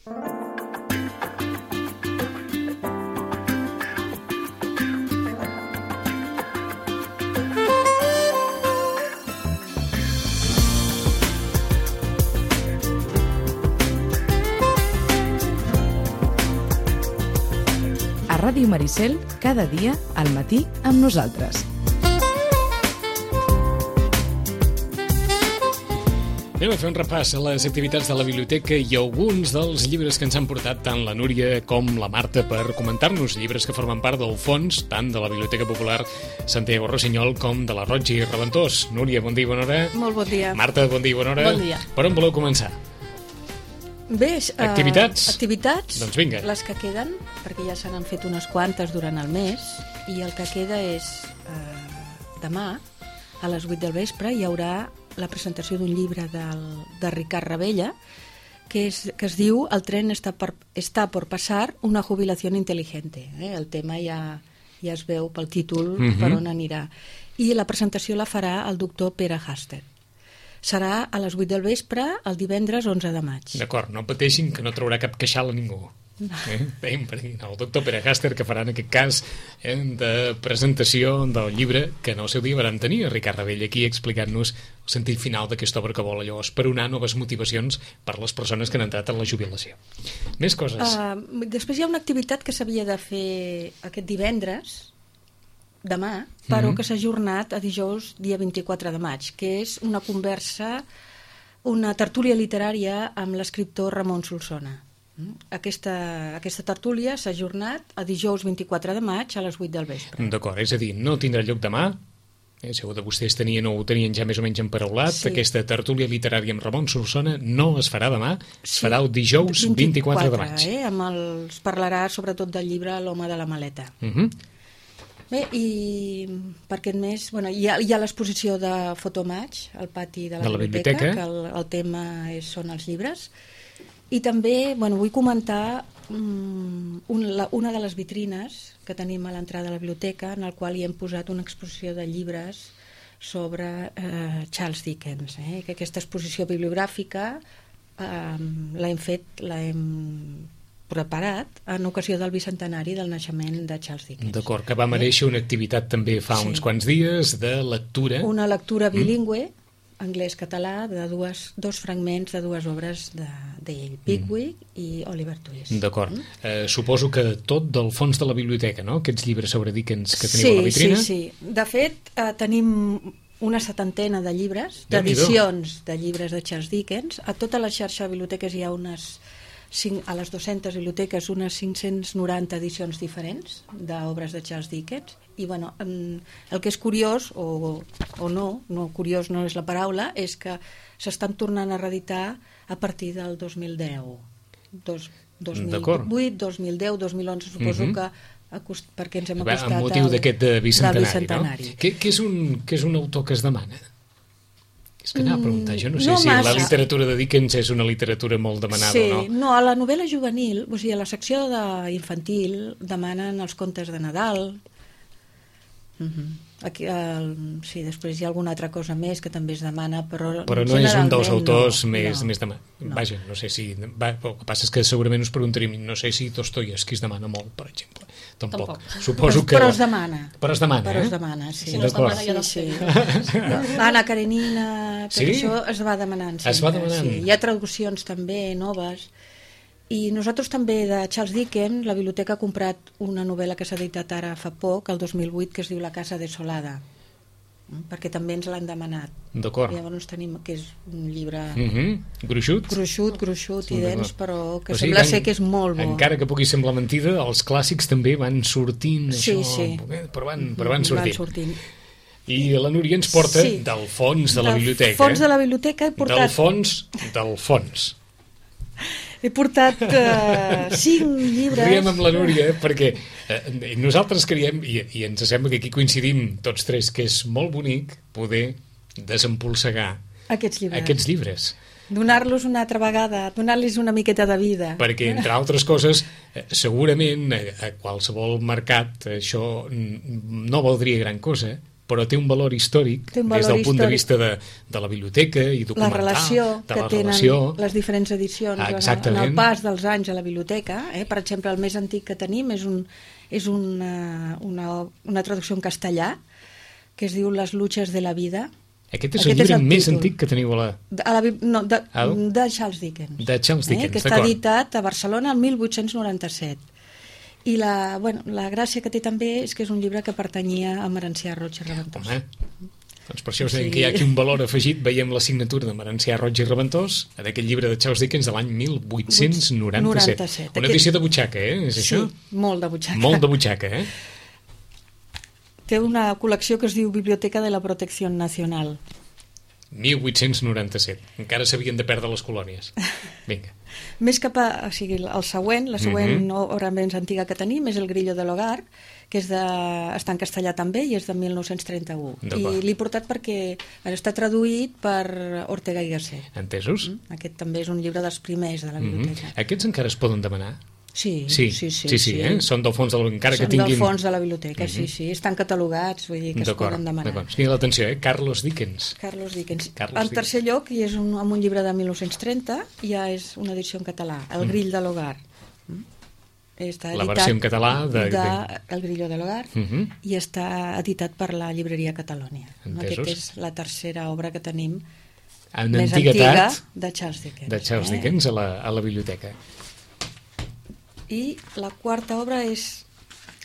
Ràdio Maricel, cada dia, al matí, amb nosaltres. Anem a fer un repàs a les activitats de la biblioteca i alguns dels llibres que ens han portat tant la Núria com la Marta per comentar-nos, llibres que formen part del fons tant de la Biblioteca Popular Santiago Rossinyol com de la Roig i Reventós. Núria, bon dia i bona hora. Molt bon dia. Marta, bon dia i bona hora. Bon dia. Per on voleu començar? Bé, activitats? Doncs vinga. Les que queden, perquè ja se n'han fet unes quantes durant el mes, i el que queda és demà, a les 8 del vespre, hi haurà la presentació d'un llibre de Ricard Ravella, que es diu El tren está por pasar, una jubilación inteligente. El tema ja es veu pel títol per on anirà. I la presentació la farà el doctor Pere Haster. Serà a les 8 del vespre, el divendres 11 de maig. D'acord, no pateixin que no traurà cap queixal a ningú. Veiem per aquí, el doctor Pere Haster, que farà en aquest cas de presentació del llibre que en el seu dia van tenir a Ricard Ravella aquí explicant-nos el sentit final d'aquesta obra que vol allò esperonar noves motivacions per les persones que han entrat en la jubilació. Més coses. Després hi ha una activitat que s'havia de fer aquest divendres, demà, però que s'ha ajornat a dijous, dia 24 de maig, que és una conversa, una tertúlia literària amb l'escriptor Ramon Solsona. Aquesta tertúlia s'ha ajornat a dijous 24 de maig a les 8 del vespre. D'acord, és a dir, no tindrà lloc demà, segur que vostès tenien o ho tenien ja més o menys emparaulat, sí. Aquesta tertúlia literària amb Ramon Solsona no es farà demà, es farà el dijous 24 de maig. Es parlarà sobretot del llibre L'home de la maleta. Bé, i per aquest mes hi ha l'exposició de Fotomaig al pati de la biblioteca, que el tema són els llibres, i també vull comentar una de les vitrines que tenim a l'entrada de la biblioteca, en el qual hi hem posat una exposició de llibres sobre Charles Dickens, que aquesta exposició bibliogràfica l'hem preparat en ocasió del bicentenari del naixement de Charles Dickens. D'acord, que va mereixer una activitat també fa uns quants dies de lectura. Una lectura bilingüe, anglès-català, de dos fragments de dues obres d'ell, Pickwick i Oliver Twist. D'acord. Suposo que tot del fons de la biblioteca, no? Aquests llibres sobre Dickens que teniu a la vitrina? Sí. De fet, tenim una 70ena de llibres, d'edicions de llibres de Charles Dickens. A tota la xarxa de biblioteques hi ha a les 200 biblioteques unes 590 edicions diferents d'obres de Charles Dickens, i el que és curiós o no curiós no és la paraula, és que s'estan tornant a reeditar a partir del 2010 2008, 2010, 2011 suposo que perquè ens hem acostat amb motiu d'aquest bicentenari, no? Què és un autor que es demana? És que anava a preguntar, jo no sé si la literatura de Dickens és una literatura molt demanada o no. Sí, no, a la novel·la juvenil, o sigui, a la secció infantil demanen els contes de Nadal. Aquí, després hi ha alguna altra cosa més que també es demana, però no és un dels autors més demanats. Vaja, no sé si... El que passa és que segurament us preguntaríem, no sé si Dostoievski es demana molt, per exemple. Tampoc. Suposo que... Però es demana. Però es demana, Però es demana, sí. Si no es demana, ja no sé. Anna Karenina, tot això es va demanant. Es va demanant. Hi ha traduccions també noves. I nosaltres també, de Charles Dickens, la biblioteca ha comprat una novel·la que s'ha editat ara fa poc, el 2008, que es diu La casa desolada, perquè també ens l'han demanat. D'acord. Llavors tenim, que és un llibre gruixut i dens, però que sembla ser que és molt bo. Encara que pugui semblar mentida, els clàssics també van sortint, però van sortint. I la Núria ens porta del fons de la biblioteca. Del fons de la biblioteca he portat... Del fons. He portat 5 llibres... Riem amb la Núria perquè nosaltres creiem, i ens sembla que aquí coincidim tots tres, que és molt bonic poder desempolsegar aquests llibres. Donar-los una altra vegada, donar-los una miqueta de vida. Perquè, entre altres coses, segurament a qualsevol mercat això no valdria gran cosa, però té un valor històric des del punt de vista de la biblioteca i documental. La relació que tenen les diferents edicions en el pas dels anys a la biblioteca. Per exemple, el més antic que tenim és una traducció en castellà que es diu Les luchas de la vida. Aquest és el llibre més antic que teniu a la... de Charles Dickens. De Charles Dickens, que està editat a Barcelona el 1897. I la gràcia que té també és que és un llibre que pertanyia a Merencià Roig i Reventós. Home, doncs per això us deien que hi ha aquí un valor afegit. Veiem la signatura de Merencià Roig i Reventós en aquest llibre de Charles Dickens de l'any 1897. Una edició de butxaca, és això? Sí, molt de butxaca. Molt de butxaca, Té una col·lecció que es diu Biblioteca de la Protecció Nacional. 1897. Encara s'havien de perdre les colònies. Vinga. Més cap a... O sigui, la següent obra més antiga que tenim és El Grillo de l'Hogar, que està en castellà també i és de 1931. I l'he portat perquè està traduït per Ortega i Gasset. Entesos. Aquest també és un llibre dels primers de la biblioteca. Aquests encara es poden demanar? Sí. Són del fons de la biblioteca. Són del fons de la biblioteca, sí. Estan catalogats, vull dir que es poden demanar. D'acord. L'atenció, Carlos Dickens. En tercer lloc, i és amb un llibre de 1930, ja és una edició en català, El Grill de l'Hogar. La versió en català El Grillo de l'Hogar i està editat per la llibreria Catalònia. Aquesta és la tercera obra que tenim més antiga de Charles Dickens. De Charles Dickens a la biblioteca. I la quarta obra és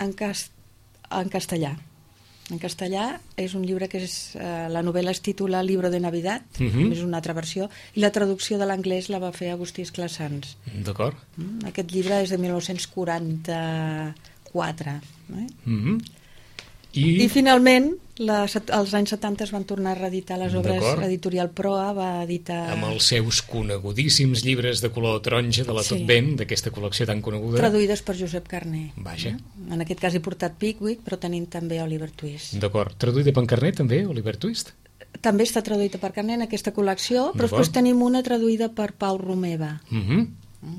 en castellà. En castellà és un llibre que la novel·la es titula Libro de Navidad, és una altra versió, i la traducció de l'anglès la va fer Agustí Esclassans. D'acord. Aquest llibre és de 1944. I finalment, als anys 70 es van tornar a reeditar les obres. L'editorial Proa va editar... Amb els seus conegudíssims llibres de color taronja de la Tot Ben, d'aquesta col·lecció tan coneguda. Traduïdes per Josep Carner. Vaja. En aquest cas he portat Pickwick, però tenim també Oliver Twist. D'acord. Traduïda per Carner també, Oliver Twist? També està traduïda per Carner en aquesta col·lecció, però després tenim una traduïda per Pau Romeva.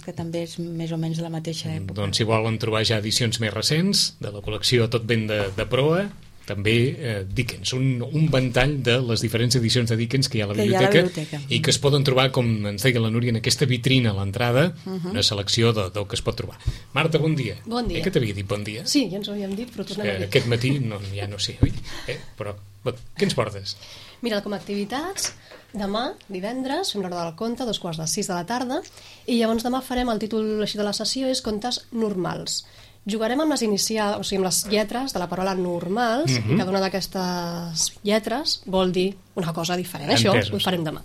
Que també és més o menys de la mateixa època. Doncs si volen trobar ja edicions més recents de la col·lecció Tot Ben de Proa, també Dickens, un ventall de les diferents edicions de Dickens que hi ha a la biblioteca i que es poden trobar, com ens deia la Núria, en aquesta vitrina a l'entrada, una selecció del que es pot trobar. Marta, bon dia. Bon dia. Que t'havia dit bon dia? Sí, ja ens ho havíem dit, però tornem a dir. Aquest matí ja no sé, oi? Però què ens portes? Mira, com a activitats, demà, divendres, fem l'hora del conte, 5:45 de la tarda, i llavors demà farem, el títol així de la sessió és Contes normals. Jugarem amb les inicials, o sigui, amb les lletres de la paraula normals, i cada una d'aquestes lletres vol dir una cosa diferent. Això ho farem demà.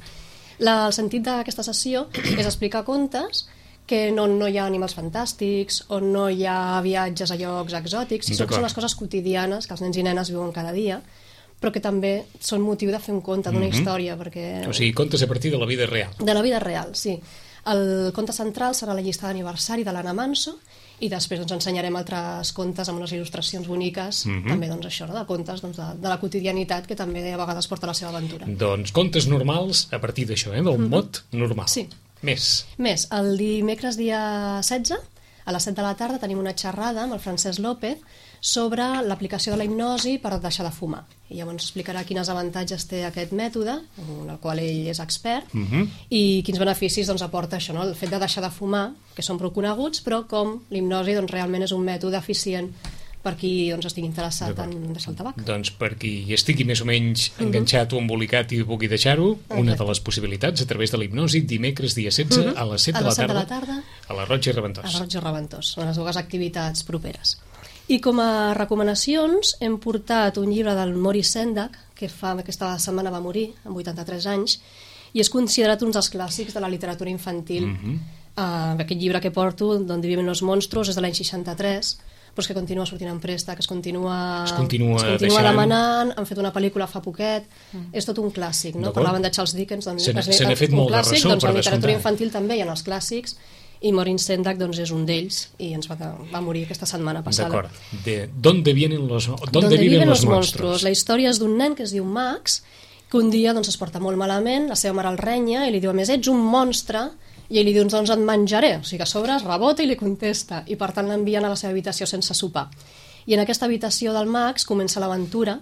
El sentit d'aquesta sessió és explicar contes que no hi ha animals fantàstics, o no hi ha viatges a llocs exòtics, sinó que són les coses quotidianes que els nens i nenes viuen cada dia, però que també són motiu de fer un conte, d'una història. Perquè... O sigui, contes a partir de la vida real. De la vida real, sí. El conte central serà la llista d'aniversari de l'Anna Manso, i després ens ensenyarem altres contes amb unes il·lustracions boniques, també doncs, això, de contes doncs, de la quotidianitat, que també a vegades porta la seva aventura. Doncs contes normals a partir d'això, del mot normal. Sí. Més, el dimecres dia 16, a les 7 de la tarda, tenim una xerrada amb el Francesc López sobre l'aplicació de la hipnosi per deixar de fumar. I llavors explicarà quins avantatges té aquest mètode, en el qual ell és expert, i quins beneficis aporta això, el fet de deixar de fumar, que són prou coneguts, però com l'hipnosi realment és un mètode eficient per qui estigui interessat en deixar el tabac. Doncs per qui estigui més o menys enganxat o embolicat i vulgui deixar-ho, una de les possibilitats a través de la hipnosi, dimecres dia 16 a les 7 de la tarda a la Roig i Reventós. A la Roig i Reventós, són les dues activitats properes. I com a recomanacions hem portat un llibre del Maurice Sendak, que aquesta setmana va morir, amb 83 anys, i és considerat un dels clàssics de la literatura infantil. Aquest llibre que porto, Donde viven los monstruos, és de l'any 63, però és que continua sortint en préstec, es continua demanant, han fet una pel·lícula fa poquet, és tot un clàssic, no? Parlaven de Charles Dickens, doncs se n'ha fet molt de ressò, doncs a la literatura infantil també hi ha els clàssics, i Maurice Sendak és un d'ells, i ens va morir aquesta setmana passada. D'acord. ¿Dónde viven los monstruos? La història és d'un nen que es diu Max, que un dia es porta molt malament, la seva mare el renya i li diu, a més, ets un monstre, i ell li diu, doncs et menjaré. O sigui que a sobre es rebota i li contesta, i per tant l'envien a la seva habitació sense sopar. I en aquesta habitació del Max comença l'aventura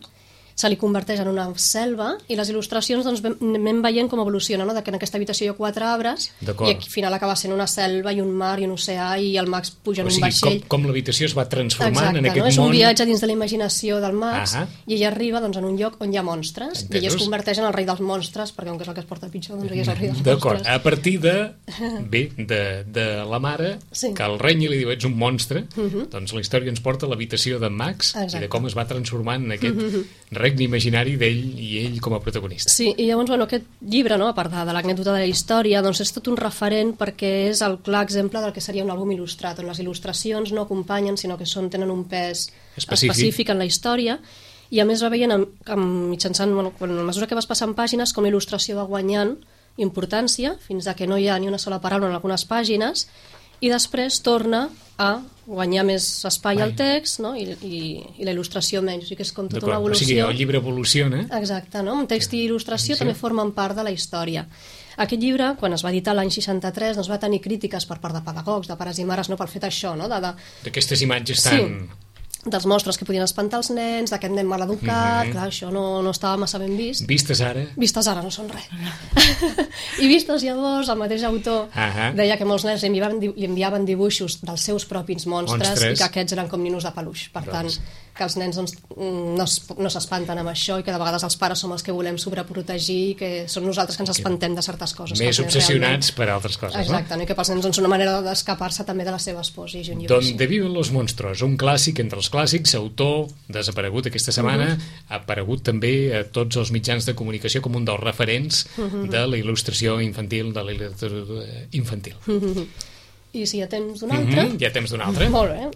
se li converteix en una selva i les il·lustracions doncs, anem veient com evoluciona, no? Que en aquesta habitació hi ha 4 arbres i al final acaba sent una selva i un mar i un oceà i el Max puja en un vaixell. Com l'habitació es va transformant en aquest món. És un món... viatge dins de la imaginació del Max i ell arriba doncs, en un lloc on hi ha monstres i ell es converteix en el rei dels monstres perquè com que és el que es porta pitjor, doncs ell és el rei dels monstres. D'acord, a partir de la mare que el renya li diu ets un monstre, doncs la història ens porta a l'habitació d'en Max i de com es va transformant en aquest regne imaginari d'ell i ell com a protagonista. Sí, i llavors, aquest llibre, no, a part de l'anècdota de la història, doncs és tot un referent perquè és el clar exemple del que seria un àlbum il·lustrat, on les il·lustracions no acompanyen, sinó que tenen un pes específic en la història, i a més va veient mitjançant, a mesura que vas passant pàgines, com la il·lustració va guanyant importància, fins a que no hi ha ni una sola paraula en algunes pàgines, i després torna a guanyar més espai al text, no? I la il·lustració menys, o sigui que és com tota una evolució. O sigui, el llibre evoluciona. Exacte, no? Text i il·lustració també formen part de la història. Aquest llibre, quan es va editar l'any 63, doncs va tenir crítiques per part de pedagogs, de pares i mares, no? Pel fet això, no? D'aquestes imatges tan... dels monstres que podien espantar els nens, d'aquest nen maleducat, clar, això no estava massa ben vist. Vistes ara? Vistes ara no són res. I vistes llavors, el mateix autor deia que molts nens li enviaven dibuixos dels seus propis monstres i que aquests eren com ninos de peluix. Per tant, que els nens no s'espanten amb això i que de vegades els pares som els que volem sobreprotegir i que som nosaltres que ens espantem de certes coses. Més obsessionats per altres coses, no? Exacte, i que pels nens és una manera d'escapar-se també de les seves pors. Donde viven los monstruos, un clàssic entre els clàssics, autor desaparegut aquesta setmana, ha aparegut també a tots els mitjans de comunicació com un dels referents de la il·lustració infantil, de la literatura infantil. I si hi ha temps d'un altre... Hi ha temps d'un altre. Molt bé.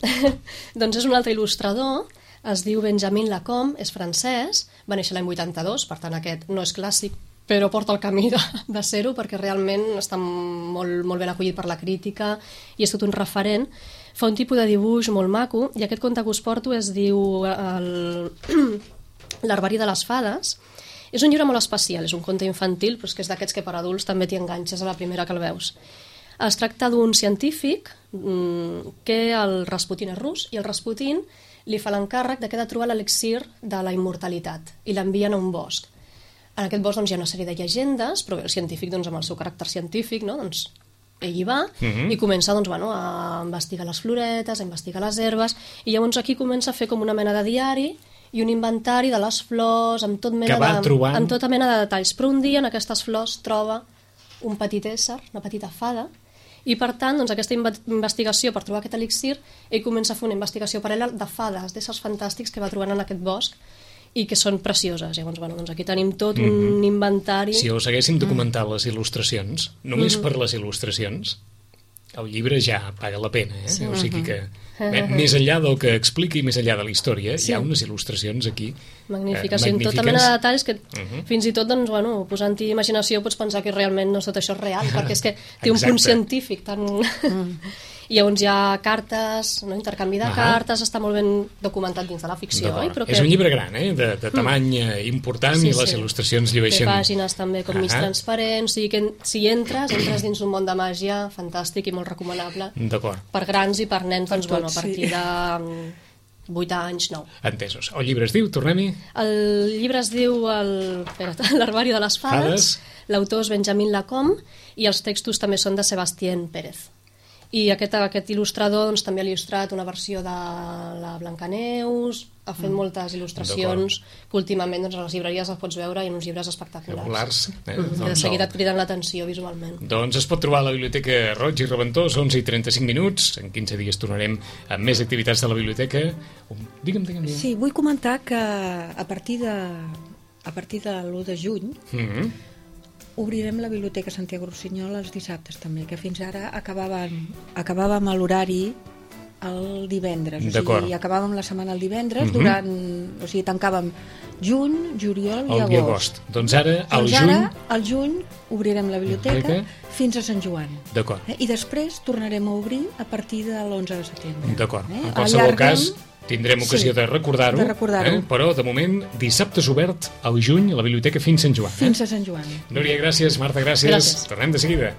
Doncs és un altre il·lustrador, es diu Benjamin Lacombe, és francès, va néixer l'any 82, per tant aquest no és clàssic, però porta el camí de ser-ho perquè realment està molt ben acollit per la crítica i és tot un referent. Fa un tipus de dibuix molt maco i aquest conte que us porto es diu L'Arbari de les Fades. És un llibre molt especial, és un conte infantil, però és que és d'aquests que per adults també t'hi enganxes a la primera que el veus. Es tracta d'un científic que el Rasputin és rus i el Rasputin li fa l'encàrrec de que ha de trobar l'elixir de la immortalitat i l'envien a un bosc. En aquest bosc doncs, hi ha una sèrie de llegendes, però el científic doncs, amb el seu caràcter científic, no? Doncs, ell hi va i comença doncs, a investigar les floretes, a investigar les herbes, i llavors aquí comença a fer com una mena de diari i un inventari de les flors amb tota mena de detalls. Però un dia en aquestes flors troba un petit ésser, una petita fada, i per tant, doncs, aquesta investigació per trobar aquest elixir, ell comença a fer una investigació paral·lela de fades, d'éssers fantàstics que va trobant en aquest bosc i que són precioses. Llavors, doncs aquí tenim tot un inventari. Si us haguéssim documentat les il·lustracions, només per les il·lustracions, el llibre ja paga la pena, eh? O sigui que més enllà del que expliqui, més enllà de la història, hi ha unes il·lustracions aquí magnífiques, amb tota mena de detalls que fins i tot, doncs, posant-hi imaginació pots pensar que realment no tot això és real, perquè és que té un punt científic tan... I llavors hi ha cartes, intercanvi de cartes, està molt ben documentat dins de la ficció. És un llibre gran, de tamany important, i les il·lustracions llueixen. Té pàgines també com mig transparents, o sigui que si entres dins un món de màgia fantàstic i molt recomanable per grans i per nens, doncs, a partir de 8 anys, 9. Entesos. El llibre es diu, tornem-hi? El llibre es diu L'Arbari de les Fades, l'autor és Benjamin Lacombe i els textos també són de Sebastien Pérez. I aquest il·lustrador doncs, també ha il·lustrat una versió de la Blancaneus, ha fet moltes il·lustracions que últimament doncs, a les llibreries les pots veure i en uns llibres espectaculars. Que de seguida et criden l'atenció visualment. Doncs es pot trobar a la Biblioteca Roig i Reventós, 11:35 minuts. En 15 dies tornarem amb més activitats de la biblioteca. Digue'm. Sí, vull comentar que a partir de l'1 de juny obrirem la Biblioteca Santiago Rossinyol els dissabtes també, que fins ara acabàvem a l'horari el divendres, o sigui, acabàvem la setmana el divendres, o sigui, tancàvem juny, juliol i agost. Doncs ara, al juny, obrirem la biblioteca fins a Sant Joan. D'acord. I després tornarem a obrir a partir de l'11 de setembre. D'acord. En qualsevol cas, tindrem ocasió de recordar-ho, però de moment dissabtes obert al juny a la biblioteca fins Sant Joan. Fins a Sant Joan. Núria, gràcies. Marta, gràcies. Tornem de seguida.